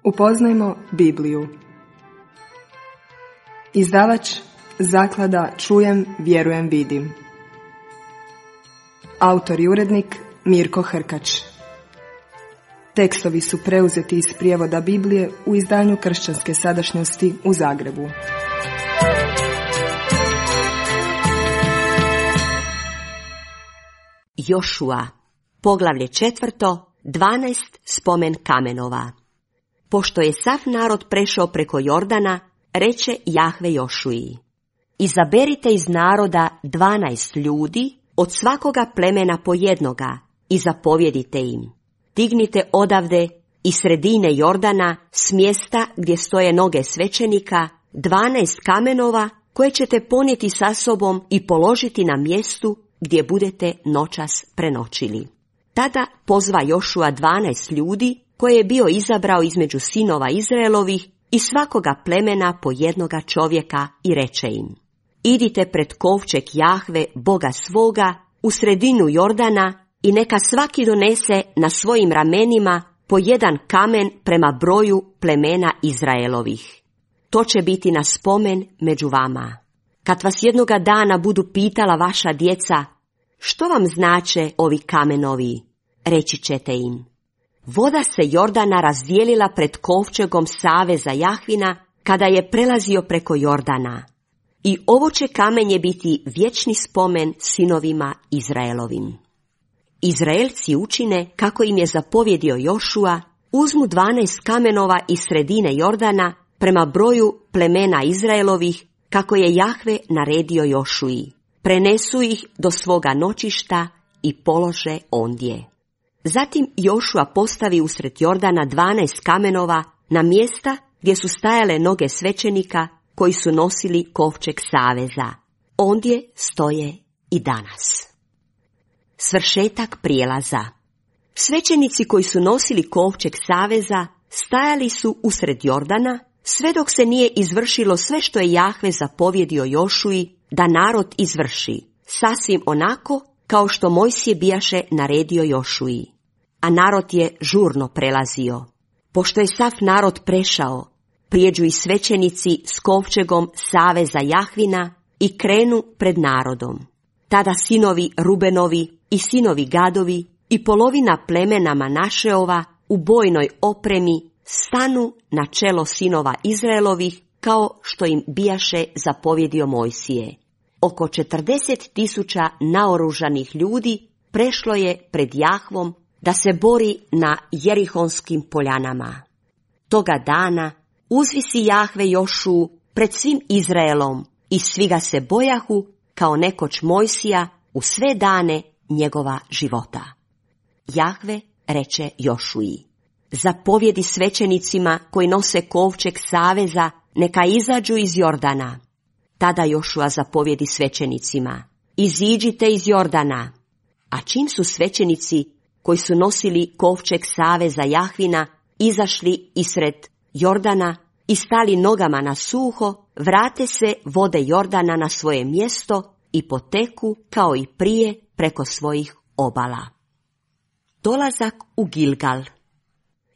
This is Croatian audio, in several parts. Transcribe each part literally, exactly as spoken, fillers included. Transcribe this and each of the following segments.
Upoznajmo Bibliju. Izdavač Zaklada Čujem, vjerujem, vidim. Autor i urednik Mirko Hrkač. Tekstovi su preuzeti iz prijevoda Biblije u izdanju Kršćanske sadašnjosti u Zagrebu. Jošua, poglavlje četvrto, dvanaest spomen kamenova. Pošto je sav narod prešao preko Jordana, reče Jahve Jošuji: Izaberite iz naroda dvanaest ljudi, od svakoga plemena po jednoga, i zapovjedite im: Dignite odavde iz sredine Jordana, s mjesta gdje stoje noge svećenika, dvanaest kamenova koje ćete ponijeti sa sobom i položiti na mjestu gdje budete noćas prenoćili. Tada pozva Jošua dvanaest ljudi koje je bio izabrao između sinova Izraelovih i svakoga plemena po jednoga čovjeka i reče im: Idite pred kovčeg Jahve, Boga svoga, u sredinu Jordana i neka svaki donese na svojim ramenima po jedan kamen prema broju plemena Izraelovih. To će biti na spomen među vama. Kad vas jednoga dana budu pitala vaša djeca: Što vam znače ovi kamenovi? Reći ćete im: Voda se Jordana razdijelila pred kovčegom saveza Jahvina kada je prelazio preko Jordana. I ovo će kamenje biti vječni spomen sinovima Izraelovim. Izraelci učine kako im je zapovjedio Jošua, uzmu dvanaest kamenova iz sredine Jordana prema broju plemena Izraelovih, kako je Jahve naredio Jošuji. Prenesu ih do svoga noćišta i polože ondje. Zatim Jošua postavi usred Jordana dvanaest kamenova na mjesta gdje su stajale noge svećenika koji su nosili kovčeg saveza. Ondje stoje i danas. Svršetak prijelaza. Svećenici koji su nosili kovčeg saveza stajali su usred Jordana, sve dok se nije izvršilo sve što je Jahve zapovjedio Jošuji da narod izvrši, sasvim onako kao što Mojsije bijaše naredio Jošuji. A narod je žurno prelazio. Pošto je sav narod prešao, prijeđu i svećenici s kovčegom saveza Jahvina i krenu pred narodom. Tada sinovi Rubenovi i sinovi Gadovi i polovina plemena Manašeova u bojnoj opremi stanu na čelo sinova Izraelovih, kao što im bijaše zapovjedio Mojsije. Oko četrdeset tisuća naoružanih ljudi prešlo je pred Jahvom da se bori na Jerihonskim poljanama. Toga dana uzvisi Jahve Jošuu pred svim Izraelom i svi ga se bojahu kao nekoć Mojsija u sve dane njegova života. Jahve reče Jošuji: Zapovjedi svećenicima koji nose kovčeg saveza neka izađu iz Jordana. Tada Jošua zapovjedi svećenicima: Iziđite iz Jordana. A čim su svećenici koji su nosili kovčeg saveza Jahvina izašli isred Jordana i stali nogama na suho, vrate se vode Jordana na svoje mjesto i poteku kao i prije preko svojih obala. Dolazak u Gilgal.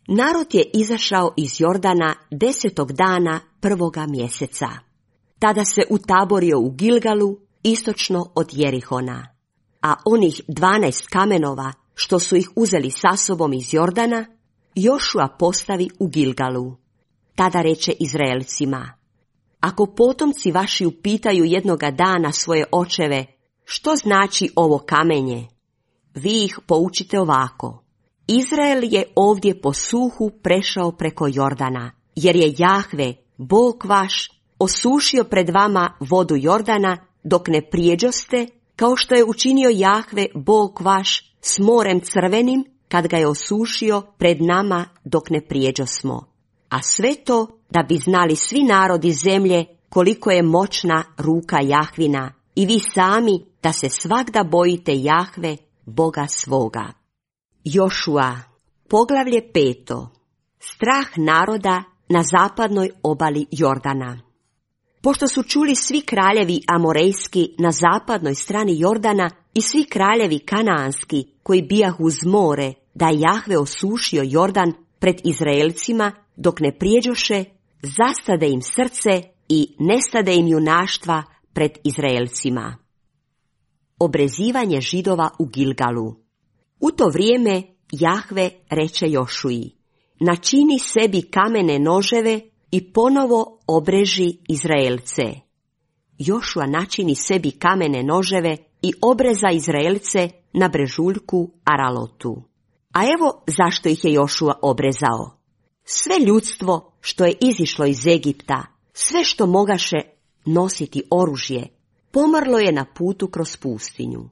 Narod je izašao iz Jordana desetog dana prvoga mjeseca. Tada se utaborio u Gilgalu, istočno od Jerihona. A onih dvanaest kamenova, što su ih uzeli sa sobom iz Jordana, Jošua postavi u Gilgalu. Tada reče Izraelcima: Ako potomci vaši upitaju jednoga dana svoje očeve: Što znači ovo kamenje? Vi ih poučite ovako: Izrael je ovdje po suhu prešao preko Jordana, jer je Jahve, Bog vaš, osušio pred vama vodu Jordana dok ne prijeđoste, kao što je učinio Jahve, Bog vaš, s morem crvenim, kad ga je osušio pred nama dok ne prijeđosmo. A sve to da bi znali svi narodi zemlje koliko je moćna ruka Jahvina, i vi sami da se svagda bojite Jahve, Boga svoga. Jošua, poglavlje peto. Strah naroda na zapadnoj obali Jordana. Pošto su čuli svi kraljevi amorejski na zapadnoj strani Jordana i svi kraljevi kanaanski koji bijahu uz more, da je Jahve osušio Jordan pred Izraelcima, dok ne prijeđoše, zastade im srce i nestade im junaštva pred Izraelcima. Obrezivanje Židova u Gilgalu. U to vrijeme Jahve reče Jošuji: načini sebi kamene noževe i ponovo obreži Izraelce. Jošua načini sebi kamene noževe i obreza Izraelce na brežuljku Aralotu. A evo zašto ih je Jošua obrezao. Sve ljudstvo što je izišlo iz Egipta, sve što mogaše nositi oružje, pomrlo je na putu kroz pustinju.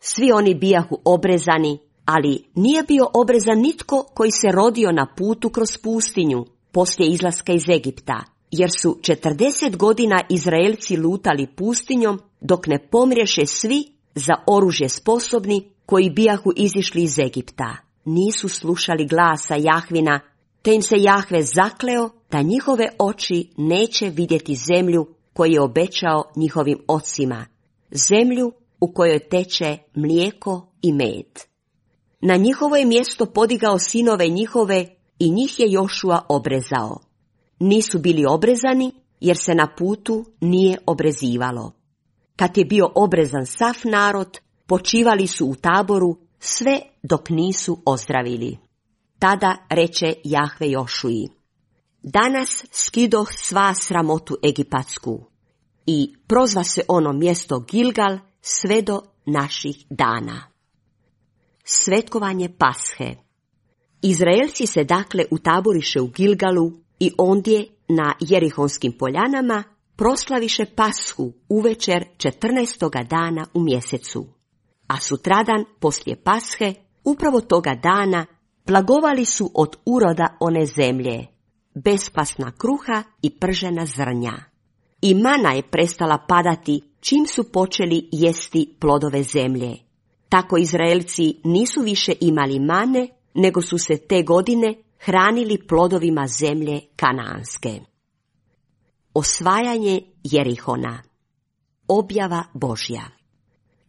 Svi oni bijahu obrezani, ali nije bio obrezan nitko koji se rodio na putu kroz pustinju poslije izlaska iz Egipta, jer su četrdeset godina Izraelci lutali pustinjom dok ne pomriješe svi za oružje sposobni koji bijahu izišli iz Egipta. Nisu slušali glasa Jahvina, te im se Jahve zakleo da njihove oči neće vidjeti zemlju koju je obećao njihovim ocima, zemlju u kojoj teče mlijeko i med. Na njihovo je mjesto podigao sinove njihove i njih je Jošua obrezao. Nisu bili obrezani jer se na putu nije obrezivalo. Kad je bio obrezan sav narod, počivali su u taboru sve dok nisu ozdravili. Tada reče Jahve Jošuji: danas skidoh sva sramotu egipatsku. I prozva se ono mjesto Gilgal sve do naših dana. Svetkovanje Pashe. Izraelci se dakle utaboriše u Gilgalu i ondje na Jerihonskim poljanama proslaviše Pashu uvečer četrnaestoga dana u mjesecu. A sutradan poslije Pashe, upravo toga dana, blagovali su od uroda one zemlje, bespasna kruha i pržena zrnja. I mana je prestala padati čim su počeli jesti plodove zemlje. Tako Izraelci nisu više imali mane, nego su se te godine hranili plodovima zemlje Kanaanske. Osvajanje Jerihona. Objava Božja.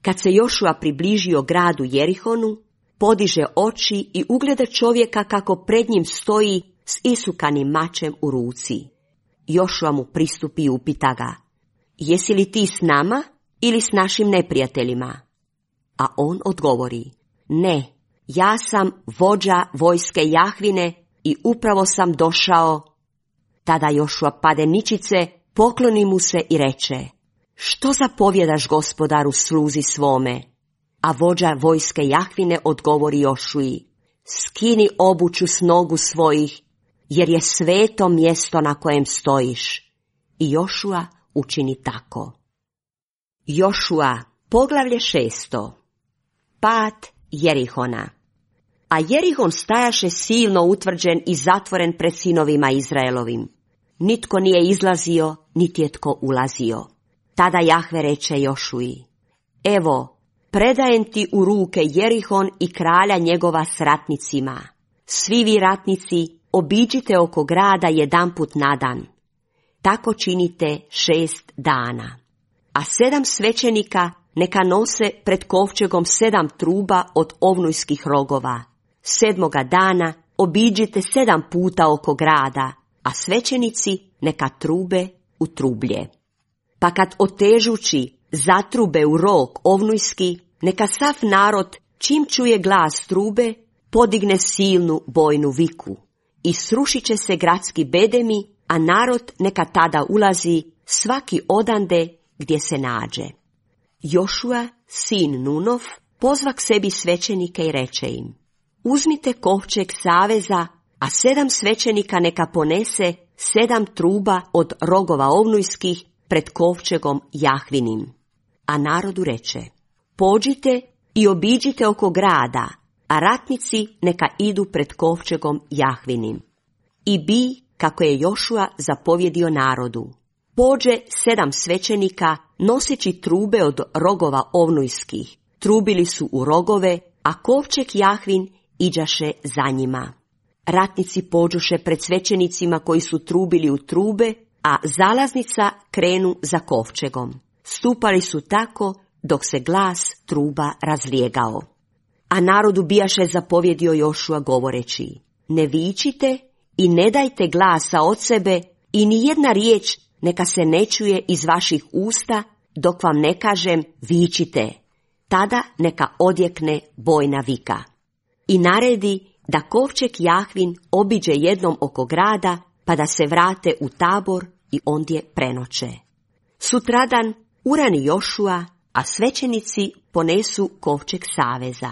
Kad se Jošua približio gradu Jerihonu, podiže oči i ugleda čovjeka kako pred njim stoji s isukanim mačem u ruci. Jošua mu pristupi i upita ga: jesi li ti s nama ili s našim neprijateljima? A on odgovori: ne, ja sam vođa vojske Jahvine i upravo sam došao. Tada Jošua pade ničice, pokloni mu se i reče: što zapovjedaš gospodaru sluzi svome? A vođa vojske Jahvine odgovori Jošuji: skini obuću s nogu svojih, jer je sveto mjesto na kojem stojiš. I Jošua učini tako. Jošua, poglavlje šesto. Pad Jerihona. A Jerihon stajaše silno utvrđen i zatvoren pred sinovima Izraelovim. Nitko nije izlazio, niti je tko ulazio. Tada Jahve reče Jošuji: evo, predajem ti u ruke Jerihon i kralja njegova s ratnicima. Svi vi ratnici obiđite oko grada jedanput na dan. Tako činite šest dana. A sedam svećenika neka nose pred kovčegom sedam truba od ovnujskih rogova. Sedmoga dana obiđite sedam puta oko grada, a svećenici neka trube u trublje. Pa kad otežući zatrube u rog ovnujski, neka sav narod, čim čuje glas trube, podigne silnu bojnu viku. I srušit će se gradski bedemi, a narod neka tada ulazi svaki odande gdje se nađe. Jošua, sin Nunov, pozva k sebi svećenike i reče im: uzmite kovčeg saveza, a sedam svećenika neka ponese sedam truba od rogova ovnujskih pred kovčegom Jahvinim. A narodu reče: pođite i obiđite oko grada, a ratnici neka idu pred kovčegom Jahvinim. I bi, kako je Jošua zapovjedio narodu. Pođe sedam svećenika noseći trube od rogova ovnujskih. Trubili su u rogove, a kovčeg Jahvin iđaše za njima. Ratnici pođuše pred svećenicima koji su trubili u trube, a zalaznica krenu za kovčegom. Stupali su tako dok se glas truba razlijegao. A narodu bijaše zapovjedio Jošua govoreći: ne vičite i ne dajte glasa od sebe i ni jedna riječ neka se ne čuje iz vaših usta dok vam ne kažem vičite. Tada neka odjekne bojna vika. I naredi da kovčeg Jahvin obiđe jednom oko grada, pa da se vrate u tabor i ondje prenoće. Sutradan urani Jošua, a svećenici ponesu kovčeg saveza.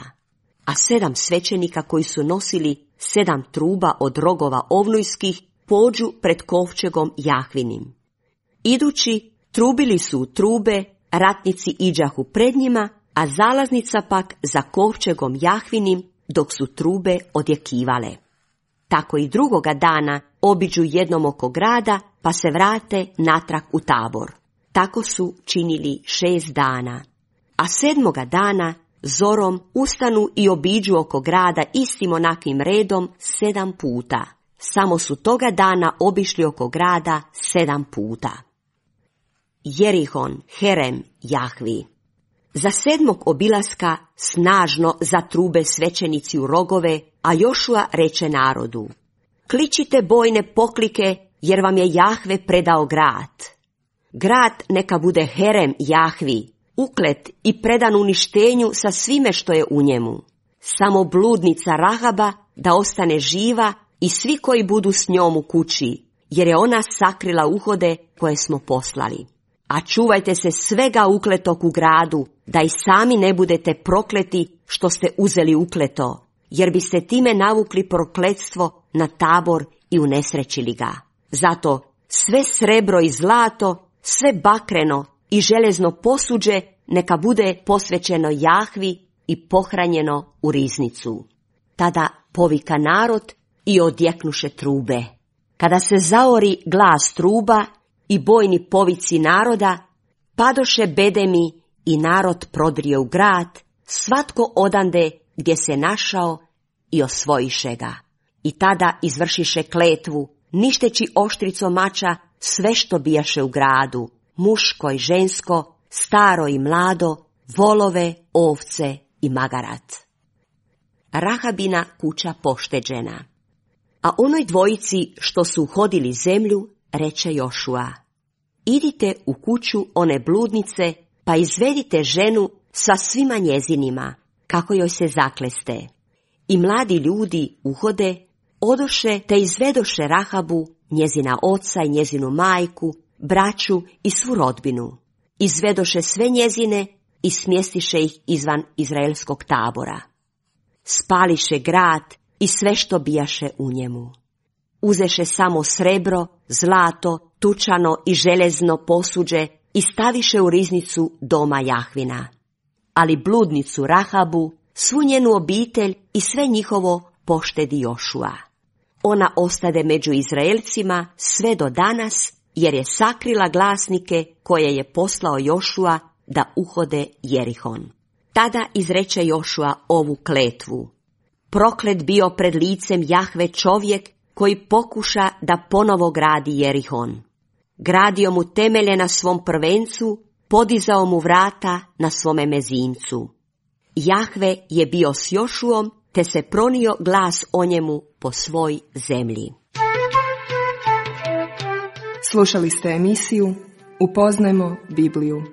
A sedam svećenika koji su nosili sedam truba od rogova ovnujskih pođu pred kovčegom Jahvinim. Idući, trubili su u trube, ratnici iđahu pred njima, a zalaznica pak za kovčegom Jahvinim, dok su trube odjekivale. Tako i drugoga dana obiđu jednom oko grada, pa se vrate natrag u tabor. Tako su činili šest dana. A sedmoga dana zorom ustanu i obiđu oko grada istim onakvim redom sedam puta. Samo su toga dana obišli oko grada sedam puta. Jerihon, Herem, Jahvi. Za sedmog obilaska snažno zatrube svećenici u rogove, a Jošua reče narodu: kličite bojne poklike, jer vam je Jahve predao grad. Grad neka bude Herem Jahvi, uklet i predan uništenju sa svime što je u njemu. Samo bludnica Rahaba da ostane živa i svi koji budu s njom u kući, jer je ona sakrila uhode koje smo poslali. A čuvajte se svega ukletog u gradu, da i sami ne budete prokleti što ste uzeli ukleto, jer biste time navukli prokletstvo na tabor i unesrećili ga. Zato sve srebro i zlato, sve bakreno i železno posuđe neka bude posvećeno Jahvi i pohranjeno u riznicu. Tada povika narod i odjeknuše trube. Kada se zaori glas truba i bojni povici naroda, padoše bedemi i narod prodrije u grad, svatko odande gdje se našao i osvojiše ga. I tada izvršiše kletvu, ništeći oštricom mača sve što bijaše u gradu, muško i žensko, staro i mlado, volove, ovce i magarat. Rahabina kuća pošteđena. A onoj dvojici što su uhodili zemlju, reče Jošua: idite u kuću one bludnice, pa izvedite ženu sa svima njezinima, kako joj se zakleste. I mladi ljudi uhode, odoše te izvedoše Rahabu, njezina oca i njezinu majku, braću i svu rodbinu. Izvedoše sve njezine i smjestiše ih izvan izraelskog tabora. Spališe grad i sve što bijaše u njemu. Uzeše samo srebro, zlato, tučano i železno posuđe i staviše u riznicu doma Jahvina. Ali bludnicu Rahabu, svu njenu obitelj i sve njihovo poštedi Jošua. Ona ostade među Izraelcima sve do danas, jer je sakrila glasnike koje je poslao Jošua da uhode Jerihon. Tada izreče Jošua ovu kletvu: proklet bio pred licem Jahve čovjek koji pokuša da ponovo gradi Jerihon. Gradio mu temelje na svom prvencu, podizao mu vrata na svome mezincu. Jahve je bio s Jošuom, te se pronio glas o njemu po svoj zemlji. Slušali ste emisiju Upoznajmo Bibliju.